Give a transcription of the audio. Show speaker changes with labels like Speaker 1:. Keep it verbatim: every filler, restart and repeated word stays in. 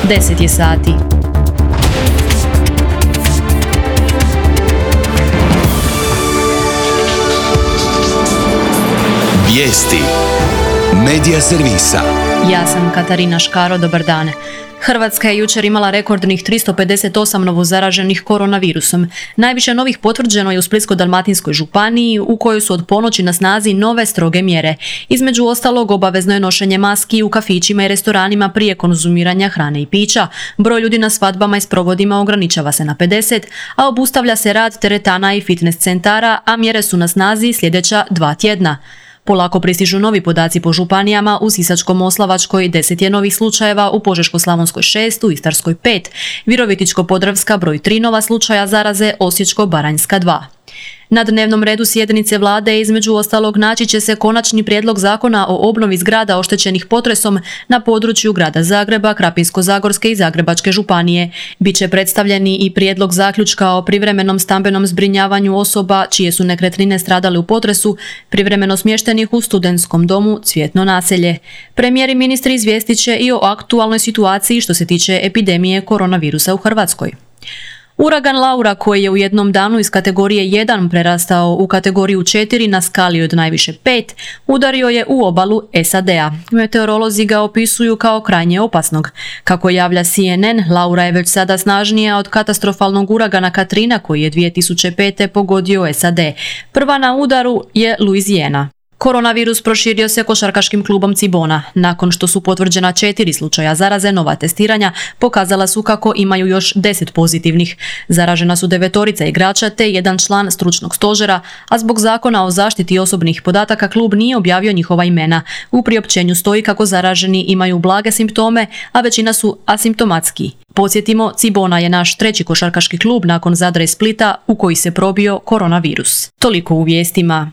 Speaker 1: deset je sati.
Speaker 2: Vijesti Medija servisa.
Speaker 1: Ja sam Katarina Škaro, dobar dan. Hrvatska je jučer imala rekordnih tristo pedeset osam novozaraženih koronavirusom. Najviše novih potvrđeno je u Splitsko-dalmatinskoj županiji, u kojoj su od ponoći na snazi nove stroge mjere. Između ostalog, obavezno je nošenje maski u kafićima i restoranima prije konzumiranja hrane i pića. Broj ljudi na svadbama i sprovodima ograničava se na pedeset, a obustavlja se rad teretana i fitness centara, a mjere su na snazi sljedeća dva tjedna. Polako pristižu novi podaci po županijama, u Sisačko-moslavačkoj deset je novih slučajeva, u Požeško-slavonskoj šest, u Istarskoj pet, Virovitičko-podravska broj tri nova slučaja zaraze, Osječko-baranjska dva. Na dnevnom redu sjednice vlade između ostalog naći će se konačni prijedlog zakona o obnovi zgrada oštećenih potresom na području grada Zagreba, Krapinsko-zagorske i Zagrebačke županije. Biće predstavljeni i prijedlog zaključka o privremenom stambenom zbrinjavanju osoba čije su nekretnine stradale u potresu, privremeno smještenih u studentskom domu Cvjetno naselje. Premijer i ministri izvijestit će i o aktualnoj situaciji što se tiče epidemije koronavirusa u Hrvatskoj. Uragan Laura, koji je u jednom danu iz kategorije jedan prerastao u kategoriju četiri na skali od najviše pet, udario je u obalu S A D-a. Meteorolozi ga opisuju kao krajnje opasnog. Kako javlja C N N, Laura je već sada snažnija od katastrofalnog uragana Katrina koji je dvije tisuće pete pogodio S A D. Prva na udaru je Louisiana. Koronavirus proširio se košarkaškim klubom Cibona. Nakon što su potvrđena četiri slučaja zaraze, nova testiranja pokazala su kako imaju još deset pozitivnih. Zaražena su devetorica igrača te jedan član stručnog stožera, a zbog zakona o zaštiti osobnih podataka klub nije objavio njihova imena. U priopćenju stoji kako zaraženi imaju blage simptome, a većina su asimptomatski. Podsjetimo, Cibona je naš treći košarkaški klub nakon Zadra i Splita u koji se probio koronavirus. Toliko u vijestima.